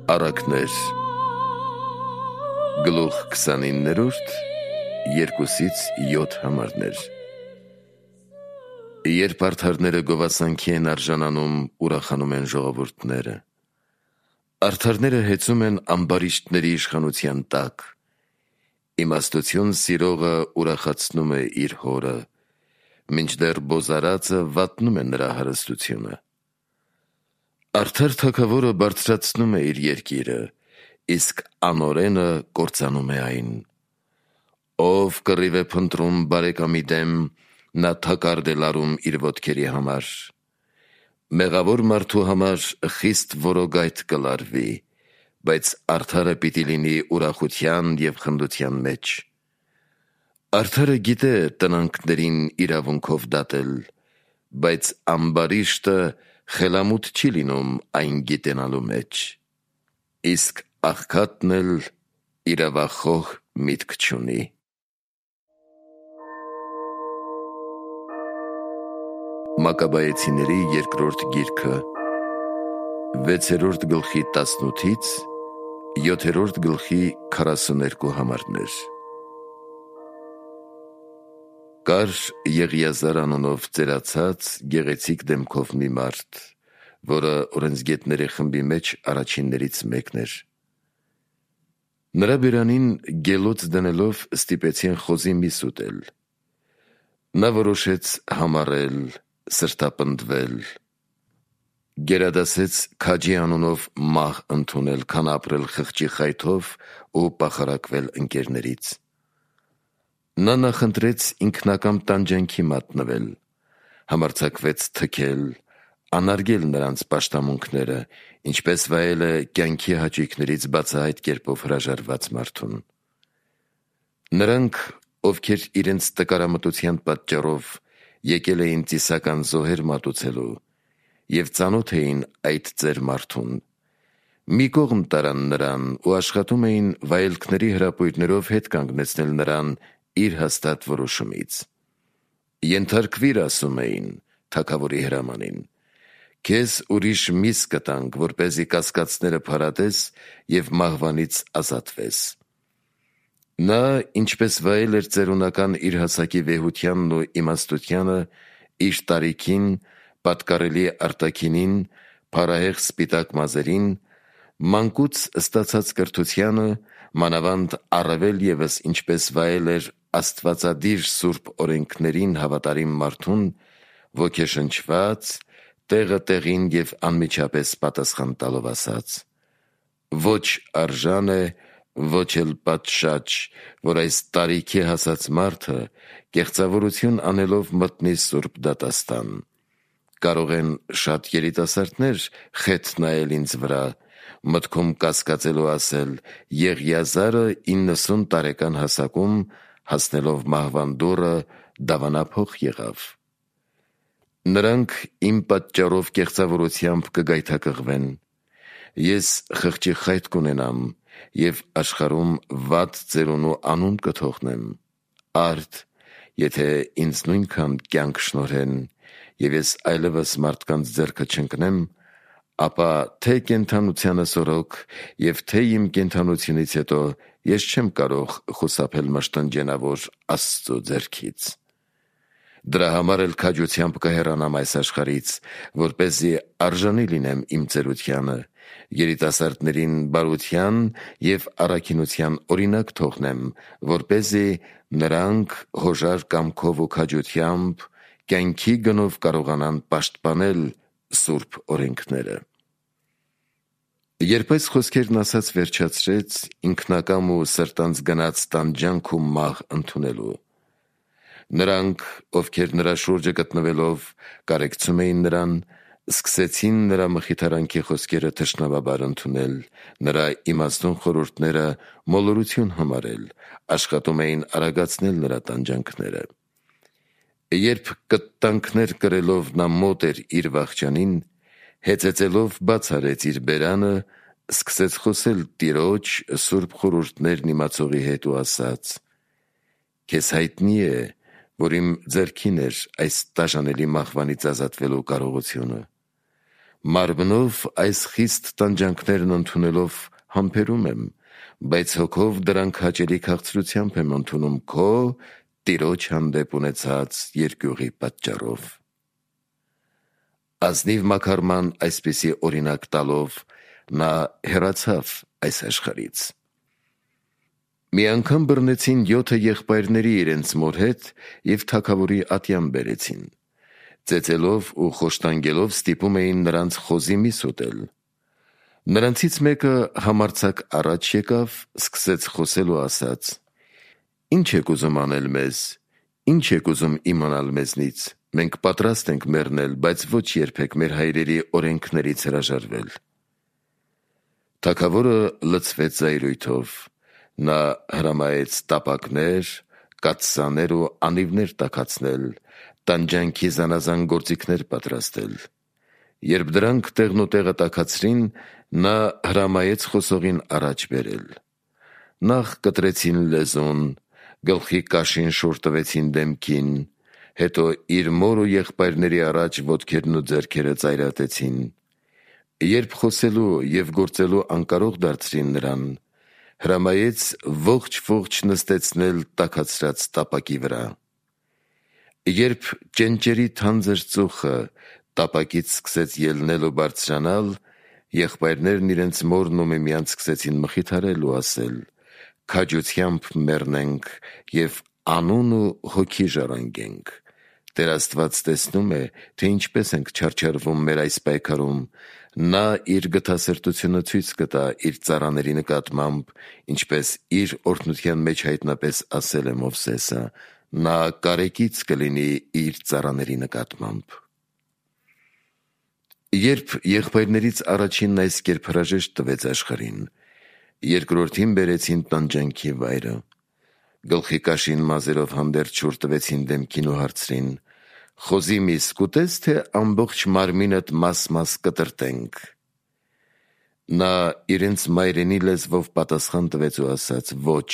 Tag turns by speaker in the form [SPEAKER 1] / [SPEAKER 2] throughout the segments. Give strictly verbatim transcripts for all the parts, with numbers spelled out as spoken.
[SPEAKER 1] Առակներ Գլուխ քսանիններորդ երկուսից յոթ համարներ Երբ արդարները գովասանքի են արժանանում, ուրախանում են ժողովուրդները։ Արդարները հեծում են ամբարիշտների իշխանության տակ։ Իմաստություն սիրողը ուրախացնում է իր հորը, մինչդեռ բոզարածը վատնում է նրա հարստությունը։ Արդար թագավորը բարձրացնում է իր երկիրը, իսկ անօրենը կործանում է այն։ Ով կռիվ է փնտրում բարեկամի դեմ, նա թակարդ է լարում իր ոտքերի համար։ Մեղավոր մարդու համար խիստ որոգայթ կլարվի, բայց արդարը պիտի լինի ուրախության և խնդության մեջ։ Արդարը գիտե տնանքներին իրավունքով դատել, բայց ամբարիշտը խելամուտ չի լինում այն գիտենալու մեջ, իսկ աղքատն էլ իրավախոհ միտք չունի։ Մակաբայեցիների երկրորդ գիրքը, վեցերորդ գլխի տասնութից յոթերորդ գլխի քառասուներկու համարներ։ Կար Եղիազար անունով ծերացած գեղեցիկ դեմքով մի մարդ, որը օրենսգետների խմբի մեջ առաջիններից մեկն էր։ Նրա բերանին գելոց դնելով ստիպեցին խոզի միս ուտել։ Նա որոշեց համառել, սրտապնդվել։ Գերադասեց քաջի անունով մահ ընդունել, քան ապրել խղճի խայթով ու պախարակվել ընկերներից։ Նա նախընտրեց ինքնակամ տանջանքի մատնվել, համարձակվեց թքել, անարգել նրանց պաշտամունքները, ինչպես վայել է կյանքի հաճույքներից բացահայտ կերպով հրաժարված մարդուն։ Նրանք, ովքեր իրենց տկարամտության պատճառով եկել էին ծիսական զոհեր մատուցելու և ծանոթ էին այդ ծեր մարդուն, մի կողմ տարան նրան ու աշխատում էին վայելքների հրապույրներով հետ կանգնեցնել նրան իր հաստատ որոշումից։ Ենթարկվիր, ասում էին թագավորի հրամանին, քեզ ուրիշ միս կտանք, որպեսզի կասկածները փարատես և մահվանից ազատվես։ Նա, ինչպես վայել էր ծերունական իր հասակի վեհությանն ու իմաստությանը, իր տարիքին, պատկառելի արտաքինին, փարահեղ սպիտակ մազերին, մանկուց ստացած կրթությանը, մանավանդ առավել ևս ինչպես վայել էր աստվածադիր սուրբ օրենքներին հավատարիմ մարդուն, ոգեշնչված, տեղը տեղին և անմիջապես պատասխան տալով ասաց. «Ոչ արժան է, ոչ էլ պատշաճ, որ այս տարիքի հասած մարդը կեղծավորություն անելով մտնի սուրբ դատաստան։ Կարող են շատ երիտասարդներ խեթ նայել ինձ վրա, մտքում կասկածելու ասել. Եղիազարը իննսուն տարեկան հասակում, հասնելով մահվան դուռը, դավանափոխ եղավ։ Նրանք իմ պատճառով կեղծավորությամբ կգայթակղվեն։ Ես խղճի խայթ կունենամ և աշխարհում վատ ծերունու անուն կթողնեմ։ Արդ, եթե ինձ նույնքան կյանք շնորհեն, և ես այլևս մարդկանց ձեռքը չընկնեմ, ապա թե կենդանությանս օրոք և թե իմ կենդանությունից հետո ես չեմ կարող խուսափել մշտնջենավոր Աստծու ձեռքից։ Դրա համար էլ քաջությամբ կհեռանամ այս աշխարհից, որպեսզի արժանի լինեմ իմ ծերությանը, երիտասարդներին բարության և առաքինության օրինակ թողնեմ, որպեսզի նրանք հոժար կամքով ու քաջությամբ կյանքի գնով կարողանան պաշտպանել սուրբ օրենքները»։ Երբ այս խոսքերն ասաց վերջացրեց, ինքնակամ ու սրտանց գնաց տանջանք ու մահ ընդունելու։ Նրանք, ովքեր նրա շուրջը գտնվելով կարեկցում էին նրան, սկսեցին նրա մխիթարանքի խոսքերը թշնամաբար ընդունել, նրա իմաստուն խորհուրդները մոլորություն համարել, աշխատում էին արագացնել նրա տանջանքները։ Երբ կտտանքներ կրելով նա մոտ էր իր վախճանին, հեծեծելով բաց արեց իր բերանը, սկսեց խոսել Տիրոջ սուրբ խորհուրդներն իմացողի հետ ու ասաց. «Քեզ հայտնի է, որ իմ ձեռքին էր այս տաժանելի մահվանից ազատվելու կարողությունը։ Մարմնով այս խիստ տանջանքներն ընդունելով համբերում եմ, բայց հոգով դրանք հաճելի քաղցրությամբ եմ ընդունում քո Տիրոջ հանդեպ ունեցած երկյուղի պատճառով։ Ազնիվ մաքարման այսպիսի օրինակ տալով նա հեռացավ այս աշխարհից։ Մի անգամ բռնեցին յոթը եղբայրների իրենց մոր հետ և թագավորի ատյան բերեցին։ Ծեծելով ու խոշտանգելով ստիպում էին նրանց խոզի միս ուտել։ Նրանցից մեկը համարձակ առաջ եկավ, սկսեց խոսել ու ասաց. «Ինչ եք ուզում անել մեզ, ինչ եք ուզում իմանալ մեզնից, մենք պատրաստ ենք մեռնել, բայց ոչ երբեք մեր հայրերի օրենքներից հրաժարվել»։ Թագավորը լցվեց զայրույթով, նա հրամայեց տապակներ, կաթսաներ ու անիվներ տաքացնել, տանջանքի զանազան գործիքներ պատրաստել։ Երբ դրանք տեղն ու տեղը տաքացրին, նա հրամայեց խոսողին առաջ բերել։ Նախ կտրեցին լեզուն, գլխի կաշին շուռ տվեցին դեմքին, հետո իր մոր ու եղբայրների առաջ ոտքերն ու ձեռքերը ծայրատեցին։ Երբ խոսելու և գործելու անկարող դարձրին նրան, հրամայեց ողջ-ողջ նստեցնել տաքացրած տապակի վրա։ Երբ ճենճերի թանձր ծուխը տապակից սկսեց ելնել ու բարձրանալ, եղբայրներն իրենց մորն ու միմյանց սկսեցին մխիթարել ու ասել. «Քաջությամբ մեռնենք և անուն ու հոգի ժառանգենք։ Տեր Աստված տեսնում է, թե ինչպես ենք չարչարվում մեր այս պայքարում, նա իր գթասրտությունը ցույց կտա իր ծառաների նկատմամբ, ինչպես իր օրհնության մեջ հայտնապես ասել է Մովսեսը, նա կարեկից կլինի իր ծառաների նկատմամբ»։ Երբ եղբայրներից առաջինն այս կերպ հրաժեշտ տվեց աշխարհին, երկրորդին բերեցին տանջանքի վայրը։ Գլխի կաշին մազերով հանդերձ շուռ տվեցին դեմքին ու հարցրին. «Խոզի միս կուտես, թե ամբողջ մարմինդ մաս-մաս կտրտենք»։ Նա իրենց մայրենի լեզվով պատասխան տվեց ու ասաց. «Ոչ»։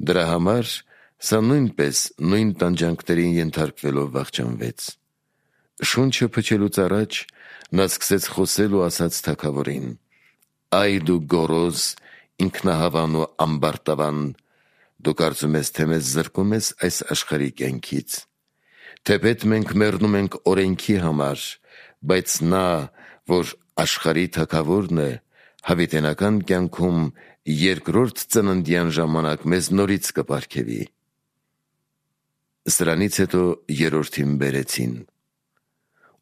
[SPEAKER 1] Դրա համար սա նույնպես նույն տանջանքներին ենթարկվելով վախճանվեց։ Շունչը փչելուց առաջ նա սկսեց խոսել ու ասաց թագավորին. «Այ դու գոռոզ, ինքնահավան ու ամբարտավան, դու կարծում ես, թե մեզ զրկում ես այս աշխարհի կյանքից։ Թեպետ մենք մեռնում ենք օրենքի համար, բայց նա, որ աշխարհի թագավորն է, հավիտենական կյանքում երկրորդ ծննդյան ժամանակ մեզ նորից կպարգևի»։ Սրանից հետո երրորդին բերեցին։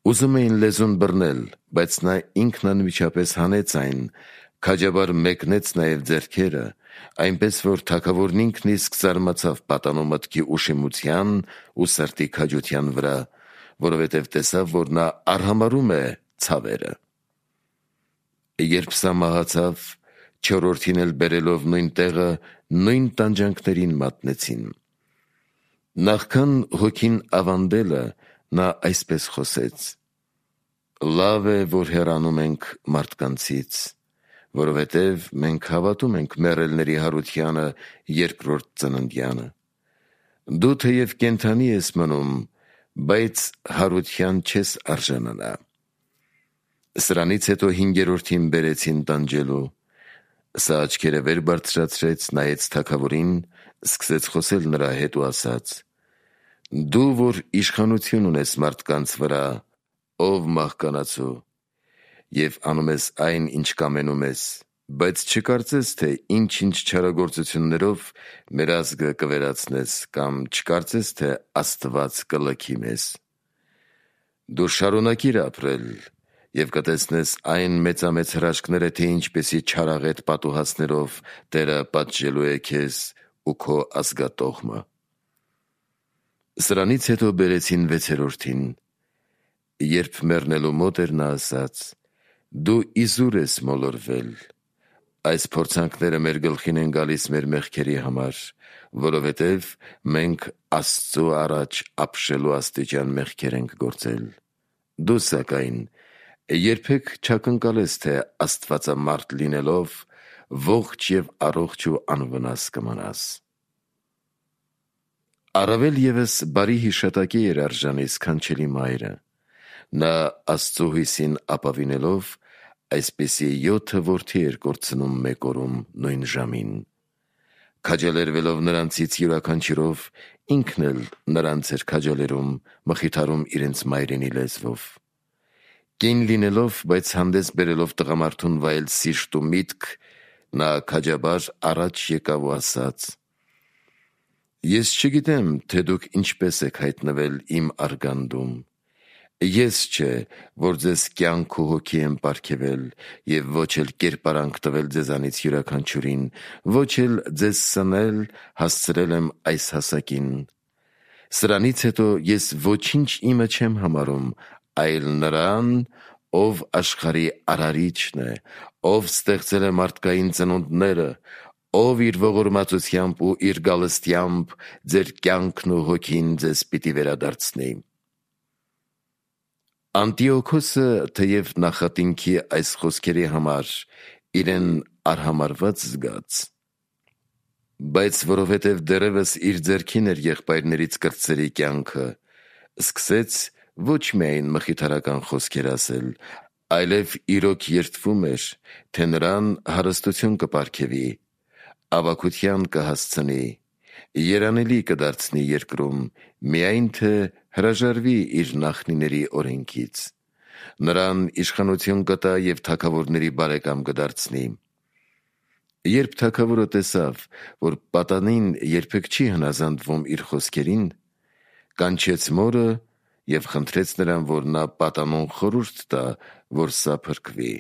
[SPEAKER 1] Ուզում էին լեզուն բռնել, բայց նա ինքն անմիջապես հանեց այն, քաջաբար մեկնեց նաև ձեռքերը, այնպես որ թագավորն ինքն իսկ զարմացավ պատանու մտքի ուշիմության ու սրտի քաջության վրա, որովհետև տեսավ, որ նա արհամարհում է ցավերը։ Երբ սա մահացավ, չորրորդին էլ բերելով նույն տեղը, նույն տանջանքներին մատնեցին։ Նախքան հոգին ավանդելը, նա այսպես խոսեց. «Լավ է, որ հեռանում ենք մարդկանցից, որովհետև մենք հավատում ենք մեռելների հարությանը երկրորդ ծննդյանը։ Դու թեև կենդանի ես մնում, բայց հարության չես արժանանա»։ Սրանից հետո հինգերորդին բերեցին տանջելու։ Սա աչքերը վեր բարձրացրեց, նայեց թագավորին, սկսեց խոսել նրա հետ ու ասաց. «Դու, որ իշխանություն ունես մարդկանց վրա, ով մահկանացու, և անում ես այն, ինչ կամենում ես, բայց չկարծես, թե ինչ-ինչ չարագործություններով մեր ազգը կվերացնես կամ չկարծես, թե Աստված կլքի մեզ։ Դու շարունակիր ապրել և կտեսնես այն մեծամեծ հրաշքները, թե ինչպիսի չարաղետ պատուհասներով Տերը պատժելու է քեզ ու քո ազգատոհմը»։ Սրանից հետո բերեցին վեցերորդին։ Երբ մեռնելու մոտ էր, նա ասաց. «Դու իզուր ես մոլորվել։ Այս փորձանքները մեր գլխին են գալիս մեր մեղքերի համար, որովհետև մենք Աստծու առաջ ապշելու աստիճան մեղքեր ենք գործել։ Դու, սակայն, երբեք չակնկալես, թե աստվածամարդ լինելով, ողջ և առողջ ու անվնաս կմնաս»։ Առավել ևս բարի հիշատակի էր արժանի սքանչելի մայրը։ Նա Աստծո հույսին ապավինելով այսպիսի յոթը որդի էր կորցնում մեկ օրում նույն ժամին։ Քաջալերվելով նրանցից յուրաքանչյուրով ինքն էլ նրանց էր քաջալերում, մխիթարում իրենց մայրենի լեզվով։ Կին լինելով, բայց հանդես բերելով տղամարդուն վայել սիրտ ու միտք, նա քաջաբար առաջ եկավ ու ասաց. «Ես չգիտեմ, թե դուք ինչպես եք հայտնվել իմ արգանդում։ Ես չէ, որ ձեզ կյանք ու հոգի եմ պարգևել և ոչ էլ կերպարանք տվել ձեզանից յուրաքանչյուրին, ոչ էլ ձեզ սնել հասցրել եմ այս հասակին։ Սրանից հետո ես ոչինչ իմը չեմ համարում, այլ նրան, ով աշխարհի արարիչն է, ով ստեղծել է մարդկային ծնունդները, ով իր ողորմածությամբ ու իր գալստյամբ ձեր կյանքն ու հոգին ձեզ պիտի վերադարձնի»։ Անտիոքոսը, թեև նախատինքի այս խոսքերի համար իրեն արհամարված զգաց, բայց որովհետև դեռևս իր ձեռքին էր եղբայրներից կրտսերի կյանքը, սկսեց ոչ միայն մխիթարական խոսքեր ասել, այլև իրոք երդվում էր, թե նրան հարստություն կպարգևի, ավագության կհասցնի, երանելի կդարձնի երկրում, միայն թե հրաժարվի իր նախնիների օրենքից, նրան իշխանություն կտա և թագավորների բարեկամ կդարձնի։ Երբ թագավորը տեսավ, որ պատանին երբեք չի հնազանդվում իր խոսքերին, կանչեց մորը և խնդրեց նրան, որ նա պատանուն խորհուրդ տա, որ սա փրկվի։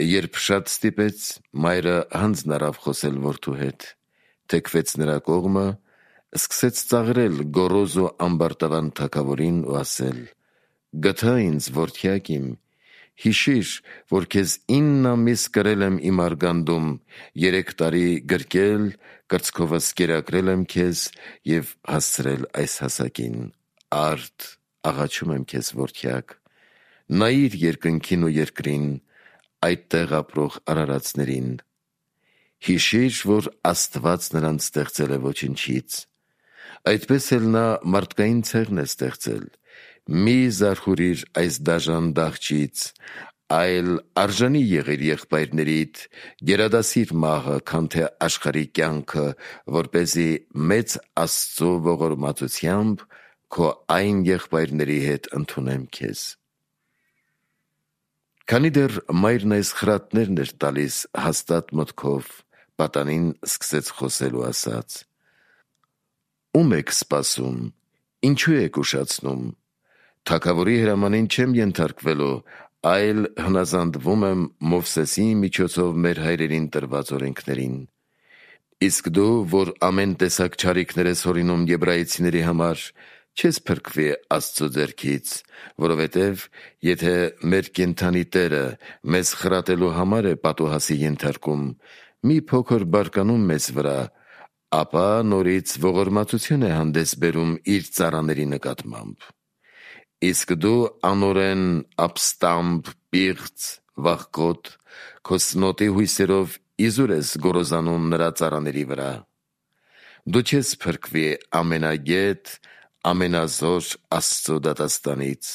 [SPEAKER 1] Երբ շատ ստիպեց, մայրը հանձն առավ խոսել որդու հետ, թեքվեց նրա կողմը, սկսեց ծաղրել գոռոզ ու ամբարտավան թագավորին ու ասել. «Գթա ինձ, որդյակ իմ, հիշիր, որ քեզ ինն ամիս կրել եմ իմ արգանդում, երեք տարի գրկել, կրծքովս կերակրել եմ քեզ և հասցրել այս հասակին։ Արդ, աղաչում եմ քեզ, որդյակ, նայիր երկնքին ու երկրին, այդտեղ ապրող արարածներին։ Հիշիր, որ Աստված նրանց ստեղծել է ոչնչից։ Այդպես էլ նա մարդկային ցեղն է ստեղծել։ Մի զարհուրիր այս դաժան դահճից, այլ արժանի եղիր եղբայրներիդ, գերադասիր մահը, քան թե աշխարհի կյանքը, որպեսզի մեծ Աստծո ողորմածությամբ քո այն եղբայրների հետ ընդունեմ քեզ»։ Քանի դեռ մայրն այս խրատներն էր տալիս հաստատ մտքով, պատանին սկսեց խոսել ու ասաց. «Ո՞ւմ եք սպասում, ինչու եք ուշացնում, թագավորի հրամանին չեմ ենթարկվելու, այլ հնազանդվում եմ Մովսեսի միջոցով մեր հայրերին տրված օրենքներին։ Իսկ դու, որ ամեն տեսակ չարիքներ ես հորինում եբրայեցիների համար, չես փրկվի Աստծո ձեռքից, որովհետև եթե մեր կենդանի Տերը մեզ խրատելու համար է պատուհասի ենթարկում, մի փոքր բարկանում մեզ վրա, ապա նորից ողորմածություն է հանդես բերում իր ծառաների նկատմամբ։ Իսկ դու անօրեն, ապստամբ, պիղծ, վախկոտ, քո սնոտի հույսերով իզուր ես գոռոզանում նրա ծառաների վրա։ Դու չես փրկվի ամենագետ, ամենազոր Աստծո դատաստանից։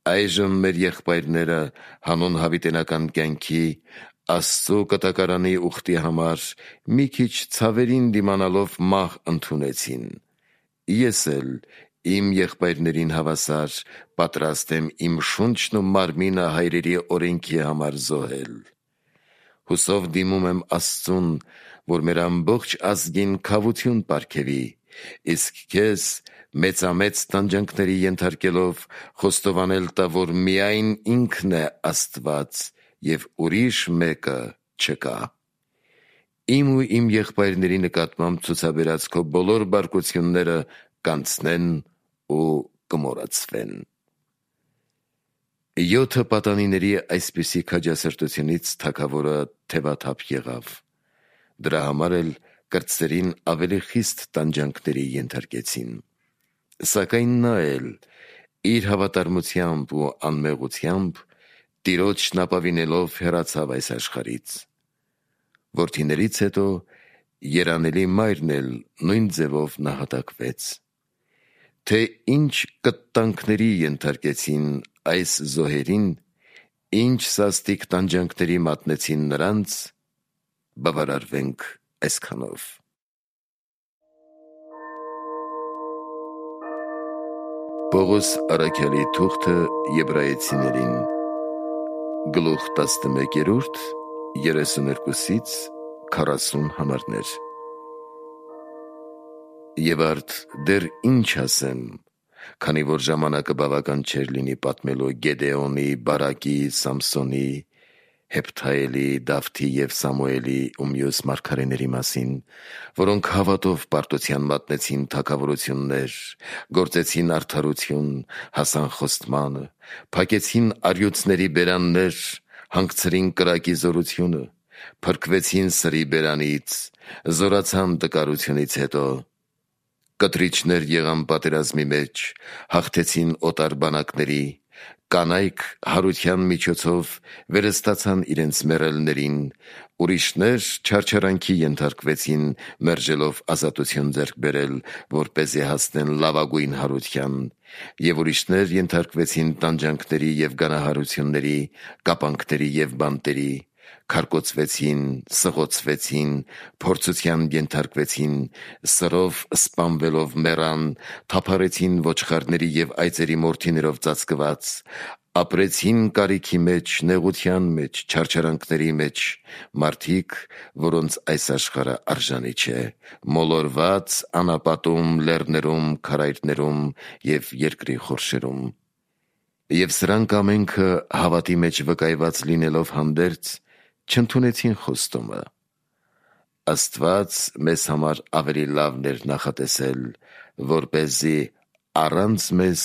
[SPEAKER 1] Այժմ մեր եղբայրները հանուն հավիտենական կյանքի, Աստծո կտակարանի ուխտի համար մի քիչ ցավերին դիմանալով մահ ընդունեցին։ Ես էլ իմ եղբայրներին հավասար պատրաստ եմ իմ շունչն ու մարմինը հայրերի օրենքի համար զոհել։ Հուսով դիմում եմ Աստծուն, որ մեր ամբողջ ազգին քավություն պարգևի, իսկ քեզ մեծամեծ տանջանքների ենթարկելով խոստովանել տա, որ միայն ինքն է Աստված և ուրիշ մեկը չկա։ Իմ ու իմ եղբայրների նկատմամբ ցուցաբերած քո բոլոր բարկությունները կանցնեն ու կմոռացվեն»։ Յոթը պատանիների այսպիսի քաջասրտությունից թագավորը թևաթափ եղավ։ Դրա համար էլ կրտսերին ավելի խիստ տանջանքների ենթարկեցին։ Սակայն նա էլ իր հավատարմությամբ ու անմեղությամբ Տիրոջն ապավինելով հեռացավ այս աշխարհից։ Որդիներից հետո երանելի մայրն էլ նույն ձևով նահատակվեց։ թե ինչ կտանքների ենթարկեցին այս զոհերին, ինչ սաստիկ տանջանքների մատնեցին նրանց, բավարարվենք այսքանով։ Պողոս առաքյալի թուղթը Եբրայեցիներին, գլուխ տասնմեկերորդ, երեսուներկուսից քառասուն համարներ։ Եվ արդ դեռ ինչ ասեմ, քանի որ ժամանակը բավական չէր լինի պատմելու Գեդեոնի, Բարակի, Սամսոնի, Հեփթայելի, Դավթի և Սամուելի ու մյուս մարգարեների մասին, որոնք հավատով պարտության մատնեցին թագավորություններ, գործեցին արդարություն, հասան խոստմանը, փակեցին առյուծների բերաններ, հանգցրին կրակի զորությունը, փրկվեցին սրի բերանից, զորացան տկարությունից հետո, կտրիչներ եղան պատերազմի մեջ, հաղթեցին օտար բանակների, կանայք հարության միջոցով վերստացան իրենց մեռելներին, ուրիշներ չարչարանքի ենթարկվեցին, մերժելով ազատություն ձեռք բերել, որպեսզի հասնեն լավագույն հարության, և ուրիշներ ենթարկվեցին տանջանքների և գանահարությունների, կապանքների և բանտերի, քարկոծվեցին, սղոցվեցին, փորձության ենթարկվեցին, սրով սպանվելով մեռան, թափառեցին ոչխարների և այծերի մորթիներով ծածկված, ապրեցին կարիքի մեջ, նեղության մեջ, չարչարանքների մեջ, մարդիկ, որոնց այս աշխարհը արժանի չէ, մոլորված անապատում, լեռներում, քարայրներում և երկրի խորշերում։ Եվ սրանք ամենքը հավատի մեջ վկայված լինելով հանդերձ, չընդունեցին խոստումը։ Աստված մեզ համար ավելի լավն էր նախատեսել, որպեսզի առանց մեզ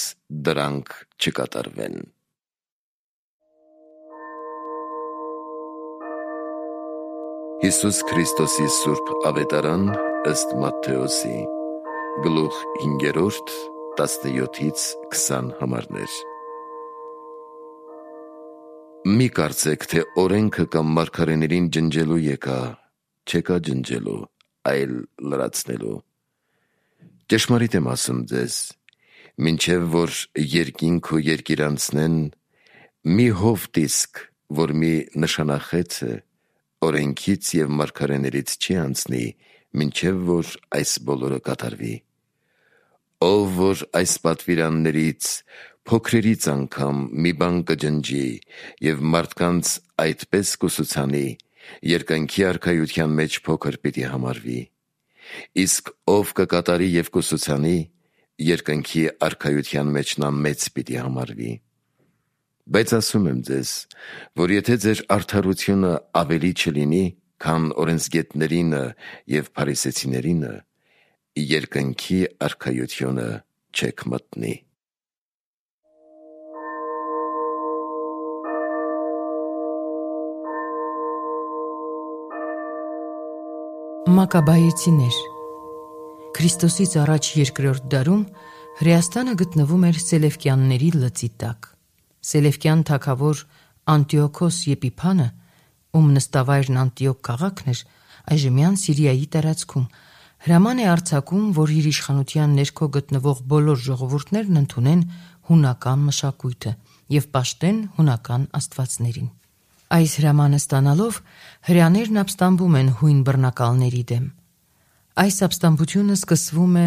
[SPEAKER 1] դրանք չկատարվեն։ Հիսուս Քրիստոսի սուրբ ավետարան ըստ Մատթեոսի, գլուխ հինգերորդ, տասնյոթից քսան համարներ։ Մի կարծեք, թե օրենքը կամ մարգարեներին ջնջելու եկա, չեկա ջնջելու, այլ լրացնելու։ Ճշմարիտ եմ ասում ձեզ, մինչև որ երկինք ու երկիր անցնեն, մի հով դիսկ, որ մի նշանախեց է, օրենքից և մարգարեներից չի անցնի, մինչև որ այս բոլորը կատարվի։ Ով որ այս պատվիրաններից փոքրերից անգամ մի բան կջնջի և մարդկանց այդպես կուսուցանի, երկնքի արքայության մեջ փոքր պիտի համարվի, իսկ ով կկատարի և կուսուցանի, երկնքի արքայության մեջ նա մեծ պիտի համարվի։ Բայց ասում եմ ձեզ, որ եթե ձեր արդարությունը ավելի չլինի, քան օրենսգետներինը և փարիսեցիներինը, երկնքի արքայությունը չեք մտնի։
[SPEAKER 2] Մակաբայեցիներ։ Քրիստոսից առաջ երկրորդ դարում Հրեաստանը գտնվում էր Սելևկյանների լծի տակ։ Սելևկյան թագավոր Անտիոքոս Եփիփանը, ում նստավայրն Անտիոք քաղաքն էր, այժմյան Սիրիայի տարածքում, հրաման է արձակում, որ իր իշխանության ներքո գտնվող բոլոր ժողովուրդներն ընդունեն հունական մշակույթը և պաշտեն հունական աստվածներին։ Այս հրամանը ստանալով հրեաներն ապստամբում են հույն բռնակալների դեմ։ Այս ապստամբությունը սկսվում է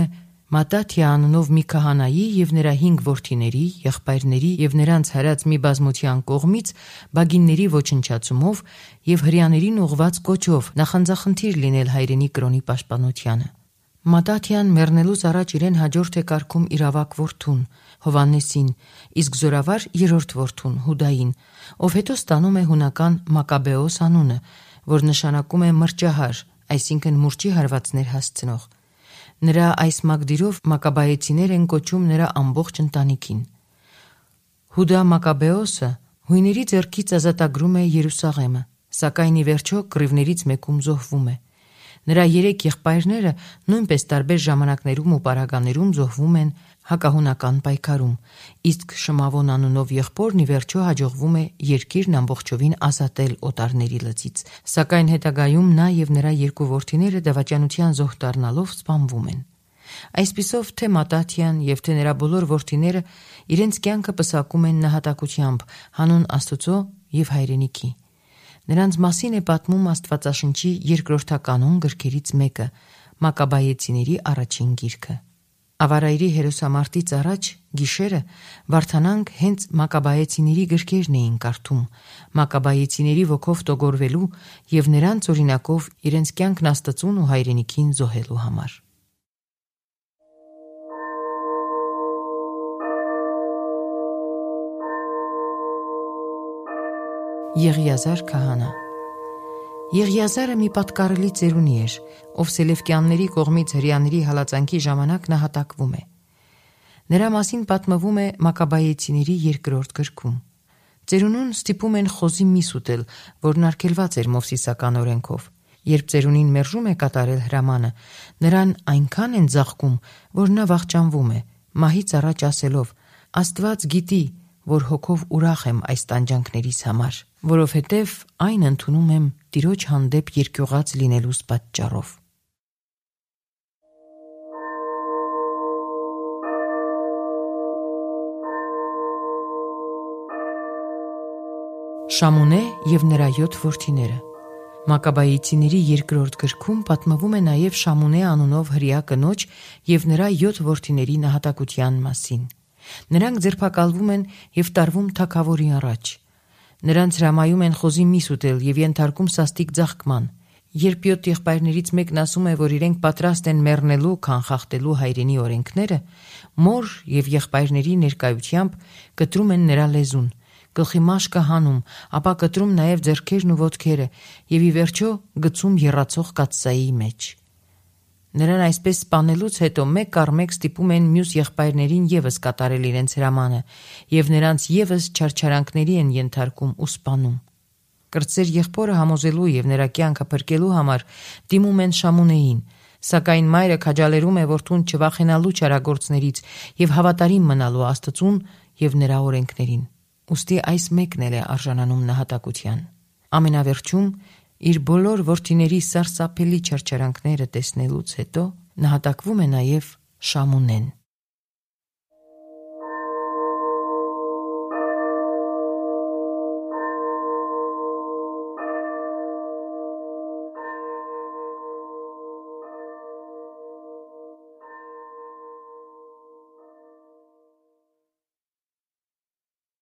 [SPEAKER 2] Մատաթիա անունով մի քահանայի և նրա հինգ որդիների, եղբայրների և նրանց հարած մի բազմության կողմից բագինների ոչնչացումով և հրեաներին ուղղված կոչով նախանձախնդիր լինել հայրենի կրոնի պաշտպանությանը։ Մատաթիան մեռնելուց առաջ իրեն հաջորդ է կարգում իր ավագ որդուն՝ Հովհաննեսին, իսկ զորավար երրորդ որդուն՝ Հուդային, ով հետո ստանում է հունական Մակաբեոս անունը, որ նշանակում է մրջահար, այսինքն մուրճի հարվածներ հասցնող։ Նրա այս մակդիրով մակաբայեցիներ են կոչում նրա ամբողջ ընտանիքին։ Հուդա Մակաբեոսը հույների ձեռքից ազատագրում է Երուսաղեմը, սակայն ի վերջո կռիվներից մեկում զոհվում է։ Նրա երեք եղբայրները նույնպես տարբեր ժամանակներում ու պարագաներում զոհվում են հակահունական պայքարում, իսկ Շմավոն անունով եղբորն ի վերջո հաջողվում է երկիրն ամբողջովին ազատել օտարների լծից, սակայն հետագայում նա և նրա երկու որդիները դավաճանության զոհ դառնալով սպանվում են։ Այսպիսով թե Մատաթյան եւ թե նրա բոլոր որդիները իրենց կյանքը պսակում են նահատակությամբ հանուն Աստծո եւ հայրենիքի։ Նրանց մասին է պատմում Աստվածաշնչի երկրորդականոն գրքերից մեկը՝ Մակաբայեցիների առաջին գիրքը։ Ավարայրի հերոսամարտից առաջ գիշերը Վարդանանք հենց Մակաբայեցիների գրքերն էին կարդում, Մակաբայեցիների ոգով տոգորվելու եւ նրանց օրինակով իրենց կյանքն Աստծուն ու հայրենիքին զոհելու համար։ Եղիազար քահանա։ Եղիազարը մի պատկառելի ծերունի էր, ով Սելևկյանների կողմից հրեաների հալածանքի ժամանակ նահատակվում է։ Նրա մասին պատմվում է Մակաբայեցիների երկրորդ գրքում։ Ծերունուն ստիպում են խոզի միս ուտել, որն արգելված էր Մովսիսական օրենքով։ Երբ ծերունին մերժում է կատարել հրամանը, նրան այնքան են ձաղկում, որ նա վախճանվում է, մահից առաջ ասելով. «Աստված գիտի, որ հոգով ուրախ եմ այս տանջանքներիս համար, որովհետև այն ընդունում եմ Տիրոջ հանդեպ երկյուղած լինելուս պատճառով»։ Շամունե եւ նրա յոթ որդիները։ Մակաբայեցիների երկրորդ գրքում պատմվում է նաև Շամունե անունով հրեա կնոջ եւ նրա յոթ որդիների նահատակության մասին։ Նրանք ձերբակալվում են եւ տարվում թագավորի առաջ։ Նրանց հրամայում են խոզի միս ուտել եւ ենթարկում սաստիկ ձաղկման։ Երբ յոթ եղբայրներից մեկն ասում է, որ իրենք պատրաստ են մեռնելու, քան խախտելու հայրենի օրենքները, մոր եւ եղբայրների ներկայությամբ կտրում են նրա լեզուն, գլխի մաշկը հանում, ապա կտրում նաև ձեռքերն ու ոտքերը եւ ի վերջո գցում եռացող կաթսայի մեջ։ Նրան այսպես սպանելուց հետո մեկ առ մեկ ստիպում են մյուս եղբայրներին եւս կատարել իրենց հրամանը եւ նրանց եւս չարչարանքների են ենթարկում ու սպանում։ Կրտսեր եղբորը համոզելու եւ նրա կյանքը փրկելու համար դիմում են Շամունեին, սակայն մայրը քաջալերում է որդուն չվախենալու չարագործներից եւ հավատարիմ մնալու Աստծուն եւ նրա օրենքներին։ Ուստի այս մեկն էլ է արժանանում նահատակության։ Ամենավերջում իր բոլոր որդիների սարսափելի չարչարանքները տեսնելուց հետո նահատակվում է նաև Շամունեն։